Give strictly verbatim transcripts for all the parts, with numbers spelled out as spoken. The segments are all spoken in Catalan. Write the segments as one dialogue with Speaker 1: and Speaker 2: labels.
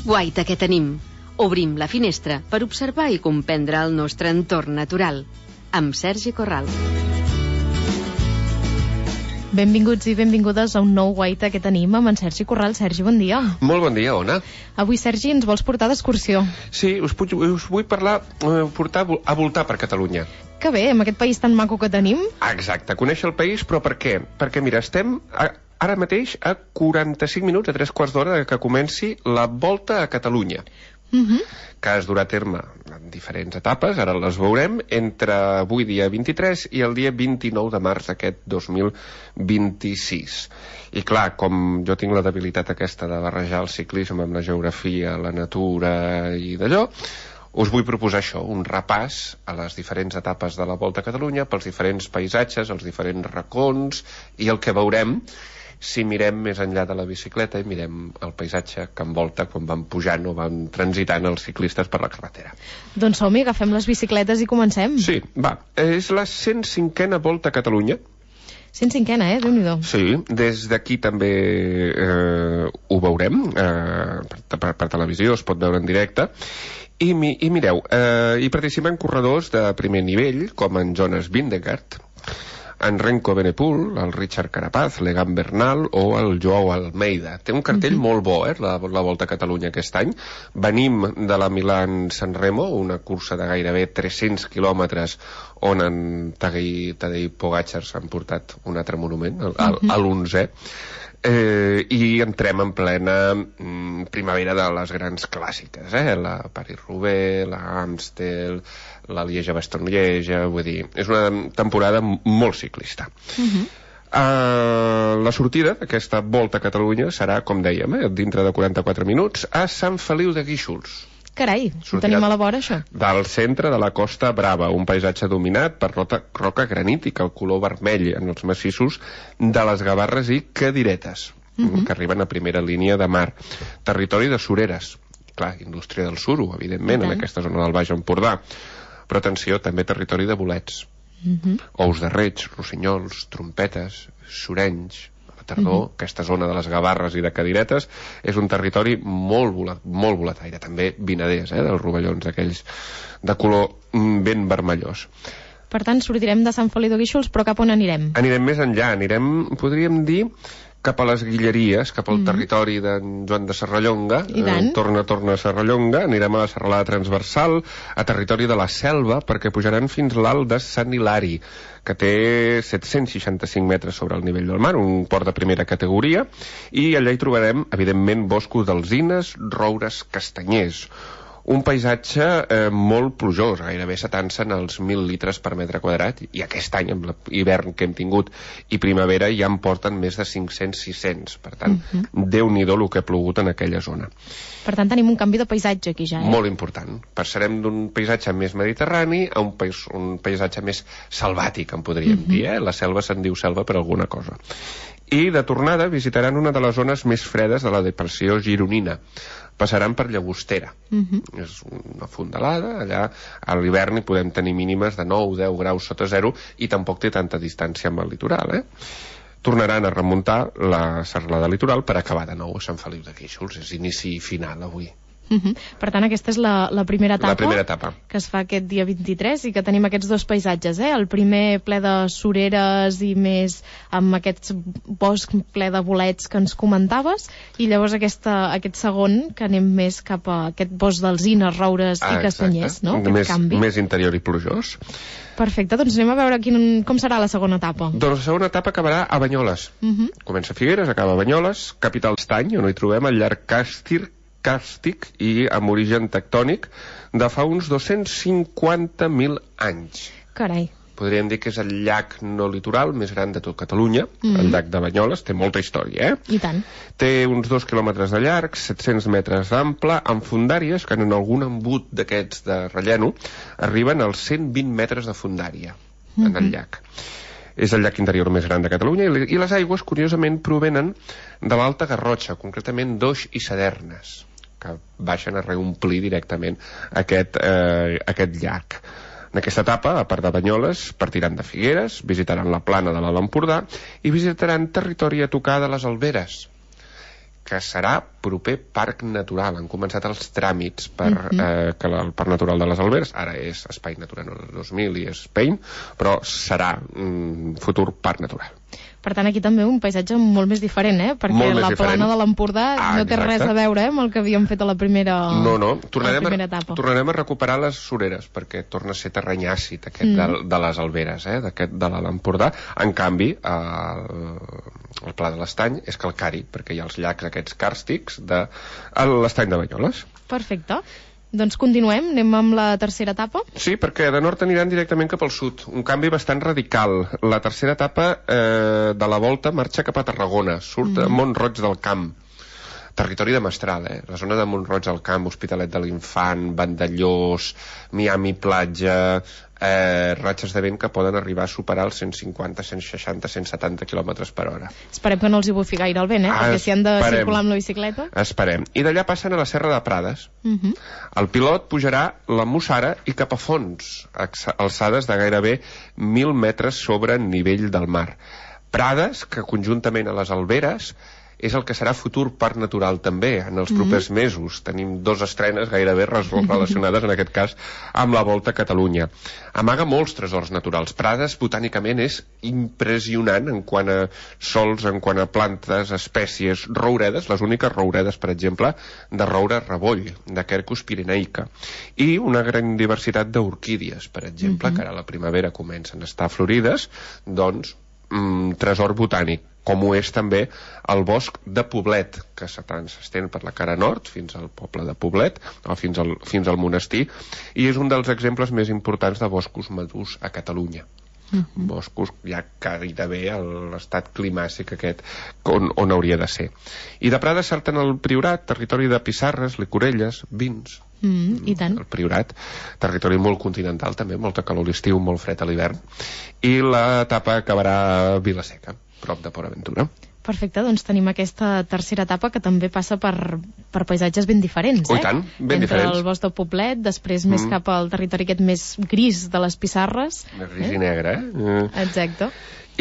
Speaker 1: guaita que tenim. Obrim la finestra per observar i comprendre el nostre entorn natural. Amb Sergi Corral.
Speaker 2: Benvinguts i benvingudes a un nou guaita que tenim amb en Sergi Corral. Sergi, bon dia.
Speaker 3: Molt bon dia, Ona.
Speaker 2: Avui, Sergi, ens vols portar d'excursió?
Speaker 3: Sí, us, puc, us vull parlar, eh, portar a voltar per Catalunya.
Speaker 2: Que bé, amb aquest país tan maco que tenim.
Speaker 3: Exacte, conèixer el país, però per què? Perquè, mira, estem a, ara mateix a quaranta-cinc minuts, a tres quarts d'hora que comenci la Volta a Catalunya.
Speaker 2: Uh-huh.
Speaker 3: Que es durà a terme en diferents etapes, ara les veurem, entre avui dia vint-i-tres i el dia vint-i-nou de març d'aquest dos mil vint-i-sis. I clar, com jo tinc la debilitat aquesta de barrejar el ciclisme amb la geografia, la natura i d'allò, us vull proposar això, un repàs a les diferents etapes de la Volta a Catalunya, pels diferents paisatges, els diferents racons, i el que veurem si mirem més enllà de la bicicleta i mirem el paisatge que envolta quan van pujant o van transitant els ciclistes per la carretera.
Speaker 2: Doncs som-hi, agafem les bicicletes i comencem.
Speaker 3: Sí, va. És la cent cinquena Volta a Catalunya.
Speaker 2: cent cinquena, eh? Déu-n'hi-do.
Speaker 3: Sí, des d'aquí també eh, ho veurem, eh, per, per, per televisió, es pot veure en directe. I, mi, i mireu, eh, hi participen corredors de primer nivell, com en Jonas Vingegaard, en Renko Benepul, el Richard Carapaz, l'Egan Bernal o el Joao Almeida. Té un cartell uh-huh. molt bo, eh, la, la Volta a Catalunya aquest any. Venim de la Milán-San Remo, una cursa de gairebé tres-cents quilòmetres on en Tadej, Tadej Pogačar s'han portat un altre monument, el, el, uh-huh. l'onzè. Eh, i entrem en plena mm, primavera de les grans clàssiques, eh? La Paris-Roubaix, la Amstel, la Lieja-Bastogne-Lieja, vull dir, és una temporada molt ciclista. Uh-huh. uh, la sortida d'aquesta Volta a Catalunya serà, com dèiem, eh, dintre de quaranta-quatre minuts, a Sant Feliu de Guíxols.
Speaker 2: Carai, ho tenim a la vora, això.
Speaker 3: Del centre de la Costa Brava, un paisatge dominat per roca, roca granítica, el color vermell en els massissos de les Gavarres i Cadiretes, uh-huh. que arriben a primera línia de mar. Territori de sureres, clar, indústria del suro, evidentment, en aquesta zona del Baix Empordà. Però atenció, també territori de bolets. Uh-huh. Ous de reig, rossinyols, trompetes, surenys. Tardor, uh-huh. aquesta zona de les Gavarres i de Cadiretes és un territori molt, volat, molt volataire, també vinaders, eh, dels rovellons aquells de color ben vermellós.
Speaker 2: Per tant, sortirem de Sant Feliu de Guíxols, però cap on anirem?
Speaker 3: Anirem més enllà, anirem, podríem dir, cap a les Guilleries, cap al mm. territori d'en Joan de Serrallonga, eh, torna, torna a Serrallonga, anirem a la serralada transversal, a territori de la Selva, perquè pujaran fins l'alt de Sant Hilari, que té set-cents seixanta-cinc metres sobre el nivell del mar, un port de primera categoria, i allà hi trobarem, evidentment, boscos d'alzines, roures, castanyers. Un paisatge eh, molt plujós, gairebé setant-se els mil litres per metre quadrat, i aquest any, amb l'hivern que hem tingut i primavera, ja en porten més de cinc-cents sis-cents. Per tant, uh-huh. Déu-n'hi-do el que ha plogut en aquella zona.
Speaker 2: Per tant, tenim un canvi de paisatge aquí ja, eh?
Speaker 3: Molt important. Passarem d'un paisatge més mediterrani a un, pais, un paisatge més salvàtic, en podríem uh-huh. dir, eh? La selva se'n diu selva per alguna cosa. I de tornada visitaran una de les zones més fredes de la depressió gironina. Passaran per Llagostera. Uh-huh. És una fondalada, allà a l'hivern hi podem tenir mínimes de nou a deu graus sota zero i tampoc té tanta distància amb el litoral, eh? Tornaran a remuntar la serralada litoral per acabar de nou a Sant Feliu de Guíxols. És inici i final avui.
Speaker 2: Uh-huh. Per tant, aquesta és la, la primera etapa,
Speaker 3: la primera etapa
Speaker 2: que es fa aquest dia vint-i-tres i que tenim aquests dos paisatges, eh? El primer ple de sureres i més amb aquest bosc ple de bolets que ens comentaves, i llavors aquesta, aquest segon que anem més cap a aquest bosc d'alzines, roures ah, i castanyers, no?
Speaker 3: Més, més interior i plujós.
Speaker 2: Perfecte, doncs anem a veure quin, com serà la segona etapa.
Speaker 3: Doncs la segona etapa acabarà a Banyoles. Uh-huh. Comença a Figueres, acaba a Banyoles, capital d'Estany, on hi trobem el llac Càstir, càrstic i amb origen tectònic de fa uns dos-cents cinquanta mil anys.
Speaker 2: Carai.
Speaker 3: Podríem dir que és el llac no litoral més gran de tot Catalunya, mm. el llac de Banyoles, té molta història, eh?
Speaker 2: I tant. Té
Speaker 3: uns dos quilòmetres de llarg, set-cents metres d'ample, amb fondàries que en algun embut d'aquests de relleno arriben als cent vint metres de fondària mm-hmm. en el llac. És el llac interior més gran de Catalunya i les aigües, curiosament, provenen de l'Alta Garrotxa, concretament d'Oix i Sadernes, que baixen a reomplir directament aquest, eh, aquest llac. En aquesta etapa, a part de Banyoles, partiran de Figueres, visitaran la plana de l'Alt Empordà i visitaran territori a tocar de les Alberes, que serà proper parc natural. Han començat els tràmits per uh-huh. eh, que el Parc Natural de les Alberes, ara és Espai Natural dos mil i és Pein, però serà un futur parc natural.
Speaker 2: Per tant, aquí també un paisatge molt més diferent, eh? Perquè la diferent. Plana de l'Empordà ah, no té exacte. Res a veure eh, amb el que havíem fet a la primera,
Speaker 3: no, no. Tornarem
Speaker 2: a la primera etapa.
Speaker 3: A, tornarem a recuperar les sureres, perquè torna a ser terreny àcid aquest mm. de, de les Alberes, eh? D'aquest de l'Empordà. En canvi, el, el Pla de l'Estany és calcari, perquè hi ha els llacs aquests càrstics de l'Estany de Banyoles.
Speaker 2: Perfecte. Doncs continuem, anem amb la tercera etapa?
Speaker 3: Sí, perquè de nord aniran directament cap al sud. Un canvi bastant radical. La tercera etapa eh, de la volta marxa cap a Tarragona, surt mm. a Mont-roig del Camp. Territori de Mestral, eh? La zona de Mont-roig del Camp, Hospitalet de l'Infant, Vandellós, Miami Platja, eh, ratxes de vent que poden arribar a superar els cent cinquanta, cent seixanta, cent setanta quilòmetres per hora.
Speaker 2: Esperem que no els hi bufi gaire el vent, eh? Ah, perquè si han de esperem, circular amb la bicicleta...
Speaker 3: Esperem. I d'allà passen a la Serra de Prades. Uh -huh. El pilot pujarà la Mussara i cap a fons, alçades de gairebé mil metres sobre nivell del mar. Prades, que conjuntament a les Alberes és el que serà futur parc natural també en els propers mm. mesos. Tenim dos estrenes gairebé relacionades en aquest cas amb la Volta a Catalunya. Amaga molts tresors naturals. Prades botànicament és impressionant en quant a sols, en quant a plantes, espècies, rouredes, les úniques rouredes, per exemple, de roure reboll, de Quercus pirenaica, i una gran diversitat d'orquídies, per exemple, mm-hmm. que ara a la primavera comencen a estar florides, doncs mm, tresor botànic, com ho és també el bosc de Poblet, que s'estén per la cara nord fins al poble de Poblet, o fins al, fins al monestir, i és un dels exemples més importants de boscos madurs a Catalunya. Uh-huh. Boscos ja gairebé a l'estat climàtic aquest on, on hauria de ser. I de Prades salten el Priorat, territori de pissarres, licorelles, vins.
Speaker 2: Mm, i tant.
Speaker 3: El Priorat, territori molt continental també, molta calor a l'estiu, molt fred a l'hivern, i l'etapa acabarà a Vilaseca, prop de Port Aventura.
Speaker 2: Perfecte, doncs tenim aquesta tercera etapa que també passa per, per paisatges ben diferents, eh?
Speaker 3: Oh, i tant, ben
Speaker 2: Entre
Speaker 3: diferents.
Speaker 2: el bosc del Poblet, després mm. més cap al territori aquest més gris de les pissarres.
Speaker 3: Més gris eh? i negre, eh?
Speaker 2: Exacte.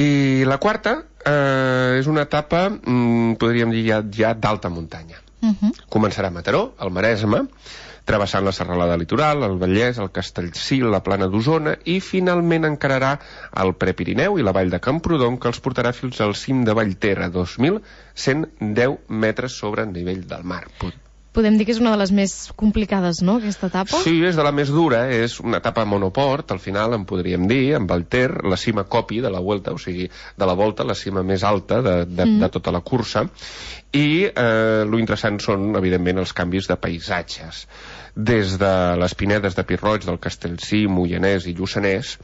Speaker 3: I la quarta eh, és una etapa, mm, podríem dir ja, ja d'alta muntanya. Uh-huh. Començarà a Mataró, al Maresme, travessant la serralada litoral, el Vallès, el Castellcí, la Plana d'Osona, i finalment encararà el Prepirineu i la vall de Camprodon, que els portarà fins al cim de Vallter, a dos mil cent deu metres sobre el nivell del mar.
Speaker 2: Podem dir que és una de les més complicades, no?, aquesta etapa?
Speaker 3: Sí, és de la més dura, és una etapa monoport, al final en podríem dir, amb Vallter, la cima copi de la Vuelta, o sigui, de la Volta, la cima més alta de, de, mm. de tota la cursa, i eh, lo interessant són, evidentment, els canvis de paisatges. Des de les pinedes de Pi-roig, del Castellcí, Moianès i Lluçanès,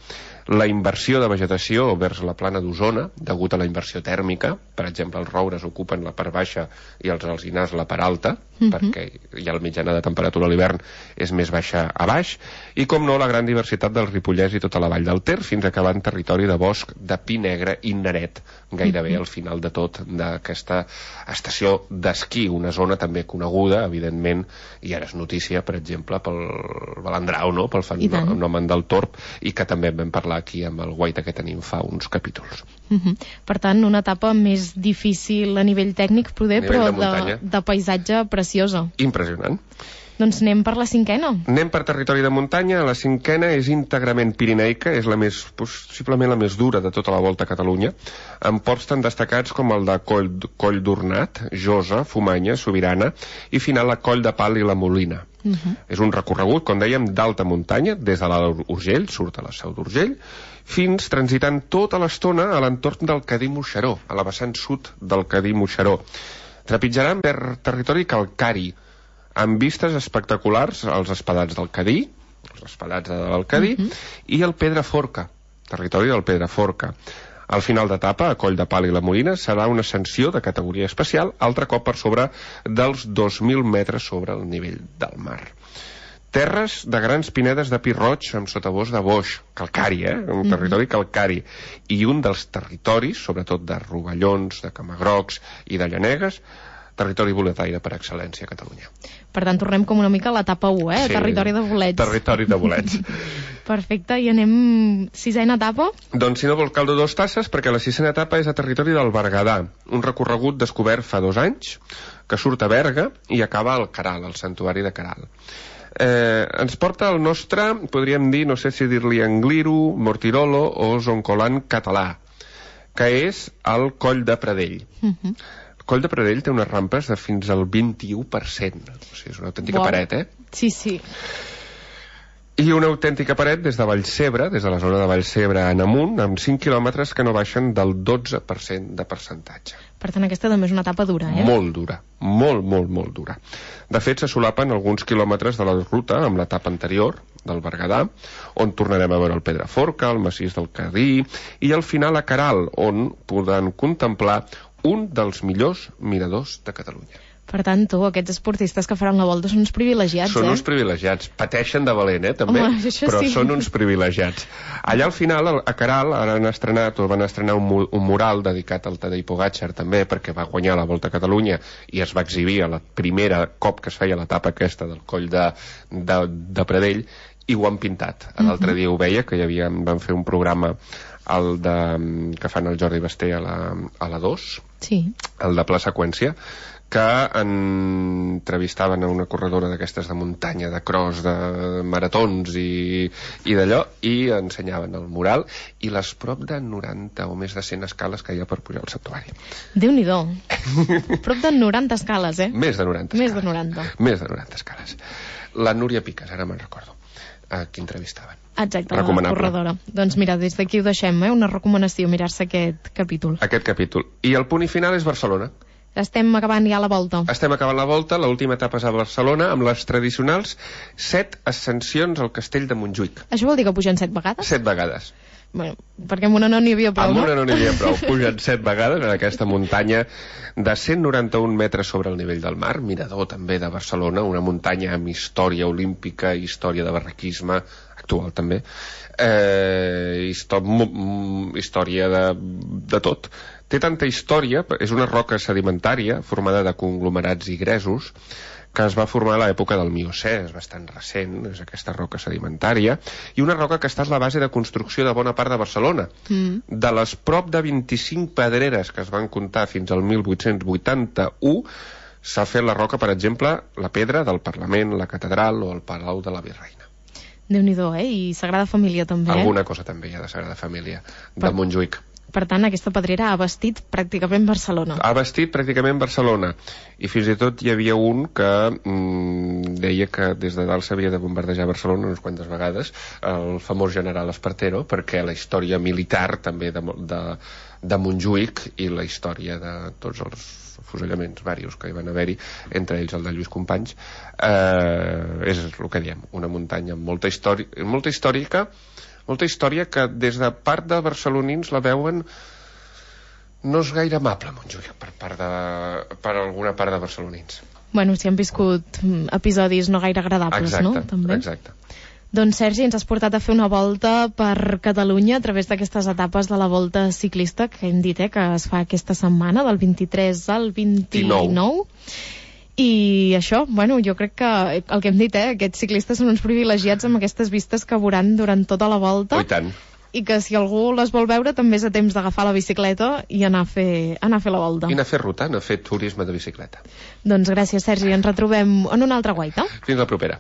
Speaker 3: la inversió de vegetació vers la Plana d'Osona, degut a la inversió tèrmica, per exemple, els roures ocupen la part baixa i els alzinars la part alta, mm-hmm. perquè ja la mitjana de temperatura a l'hivern és més baixa a baix, i com no, la gran diversitat del Ripollès i tota la vall del Ter, fins a acabar en territori de bosc de pi negre i naret, gairebé mm-hmm. al final de tot d'aquesta estació d'esquí, una zona també coneguda, evidentment, i ara és notícia, per exemple, pel Balandrau, no?, pel fenomen del Torb, i que també en vam parlar aquí amb el Guaita que tenim fa uns capítols.
Speaker 2: Uh-huh. Per tant, una etapa més difícil a nivell tècnic, poder,
Speaker 3: nivell
Speaker 2: però
Speaker 3: de,
Speaker 2: de, de paisatge preciosa.
Speaker 3: Impressionant.
Speaker 2: Doncs anem per la cinquena.
Speaker 3: Anem per territori de muntanya. La cinquena és íntegrament pirineica, és la més, possiblement la més dura de tota la Volta a Catalunya, amb ports tan destacats com el de Coll, Coll d'Ornat, Josa, Fumanya, Sobirana, i final la Coll de Pal i la Molina. Uh-huh. És un recorregut, com dèiem, d'alta muntanya, des de l'Alt Urgell, surt a la Seu d'Urgell, fins transitant tota l'estona a l'entorn del Cadí Moixeró, a la vessant sud del Cadí Moixeró. Trepitjaran per territori calcari, amb vistes espectaculars als espadats del Cadí, els espadats de l'Alcadí, uh-huh. i el Pedraforca, territori del Pedraforca. Al final d'etapa, a Coll de Pal i la Molina, serà una ascensió de categoria especial, altre cop per sobre dels dos mil metres sobre el nivell del mar. Terres de grans pinedes de pi-roig amb sotabosc de boix, calcari, eh? Un mm-hmm. territori calcari. I un dels territoris, sobretot de rovellons, de camagrocs i de llanegues, territori boletaire per excel·lència a Catalunya.
Speaker 2: Per tant, tornem com una mica a l'etapa u, eh?
Speaker 3: Sí,
Speaker 2: territori de bolets.
Speaker 3: Territori de bolets.
Speaker 2: Perfecte, i anem sisena etapa?
Speaker 3: Doncs si no vols caldo dos tasses, perquè la sisena etapa és a territori del Berguedà, un recorregut descobert fa dos anys, que surt a Berga i acaba al Caral, al santuari de Caral. Eh, ens porta el nostre, podríem dir, no sé si dir-li Angliru, Mortirolo o Zoncolan català, que és el Coll de Pradell. Uh-huh. El Coll de Pradell té unes rampes de fins al vint-i-u per cent. O sigui, és una autèntica wow. paret, eh?
Speaker 2: Sí, sí.
Speaker 3: I una autèntica paret des de Vallcebre, des de la zona de Vallcebre en amunt, amb cinc quilòmetres que no baixen del dotze per cent de percentatge.
Speaker 2: Per tant, aquesta també és una etapa dura, eh?
Speaker 3: Molt dura, molt, molt, molt dura. De fet, se solapen alguns quilòmetres de la ruta amb l'etapa anterior, del Berguedà, on tornarem a veure el Pedraforca, el massís del Cadí, i al final a Caral, on podran contemplar un dels millors miradors de Catalunya.
Speaker 2: Per tant, tu, aquests esportistes que faran la volta són uns privilegiats,
Speaker 3: són
Speaker 2: eh?
Speaker 3: Són uns privilegiats. Pateixen de valent, eh, també,
Speaker 2: home,
Speaker 3: però
Speaker 2: sí.
Speaker 3: són uns privilegiats. Allà al final, a Caral, ara han estrenat, o van estrenar un, un mural dedicat al Tadej Pogačar, també, perquè va guanyar la Volta a Catalunya i es va exhibir a la primera cop que es feia l'etapa aquesta del Coll de, de, de Pradell, i ho han pintat. L'altre dia ho veia, que hi havia, van fer un programa el de, que fan el Jordi Basté a la, a la dos,
Speaker 2: sí.
Speaker 3: el de Pla Seqüència, que entrevistaven a una corredora d'aquestes de muntanya, de cross, de maratons i, i d'allò, i ensenyaven el mural i les prop de noranta o més de cent escales que hi ha per pujar al santuari.
Speaker 2: Déu-n'hi-do. Prop de noranta escales, eh?
Speaker 3: Més de noranta escales.
Speaker 2: Més de noranta.
Speaker 3: Més de noranta escales. La Núria Piques, ara me'n recordo, a qui entrevistaven.
Speaker 2: Exacte, la corredora. Doncs mira, des d'aquí ho deixem, eh? Una recomanació, mirar-se aquest capítol.
Speaker 3: Aquest capítol. I el punt i final és Barcelona.
Speaker 2: Estem acabant ja la volta.
Speaker 3: Estem acabant la volta, l'última etapa és a Barcelona, amb les tradicionals set ascensions al castell de Montjuïc.
Speaker 2: Això vol dir que pugen set vegades?
Speaker 3: Set vegades.
Speaker 2: Bueno, perquè amb una no n'hi havia prou,
Speaker 3: amb
Speaker 2: no?
Speaker 3: Amb una no n'hi havia prou. Pugen set vegades en aquesta muntanya de cent noranta-un metres sobre el nivell del mar, mirador també de Barcelona, una muntanya amb història olímpica, història de barraquisme, actual també, eh, histò història de, de tot. Té tanta història, és una roca sedimentària formada de conglomerats i gresos que es va formar a l'època del Miocè, és bastant recent, és aquesta roca sedimentària, i una roca que ha estat la base de construcció de bona part de Barcelona. Mm. De les prop de vint-i-cinc pedreres que es van comptar fins al mil vuit-cents vuitanta-u, s'ha fet la roca, per exemple, la pedra del Parlament, la Catedral o el Palau de la Virreina.
Speaker 2: Déu-n'hi-do, eh? I Sagrada Família també, eh?
Speaker 3: Alguna cosa també hi ha de Sagrada Família, de per... Montjuïc.
Speaker 2: Per tant, aquesta pedrera ha vestit pràcticament Barcelona.
Speaker 3: Ha vestit pràcticament Barcelona. I fins i tot hi havia un que mm, deia que des de dalt s'havia de bombardejar Barcelona unes quantes vegades, el famós general Espartero, perquè la història militar també de, de, de Montjuïc i la història de tots els fusellaments varios que hi van haver-hi, entre ells el de Lluís Companys, eh, és el que diem, una muntanya amb molta història, molta històrica, molta història que des de part de barcelonins la veuen no és gaire amable, Montjuïc, per, part de, per alguna part de barcelonins.
Speaker 2: Bueno, si han viscut episodis no gaire agradables,
Speaker 3: exacte,
Speaker 2: no? També.
Speaker 3: Exacte.
Speaker 2: Doncs, Sergi, ens has portat a fer una volta per Catalunya a través d'aquestes etapes de la volta ciclista que hem dit, eh, que es fa aquesta setmana, del vint-i-tres al vint-i-nou. I això, bueno, jo crec que el que hem dit, eh, aquests ciclistes són uns privilegiats amb aquestes vistes que veuran durant tota la volta.
Speaker 3: Oh, i tant.
Speaker 2: I que si algú les vol veure també és a temps d'agafar la bicicleta i anar a fer, anar a fer la volta.
Speaker 3: I anar a fer ruta, anar a fer turisme de bicicleta.
Speaker 2: Doncs gràcies, Sergi, ens retrobem en una altra guaita.
Speaker 3: Fins la propera.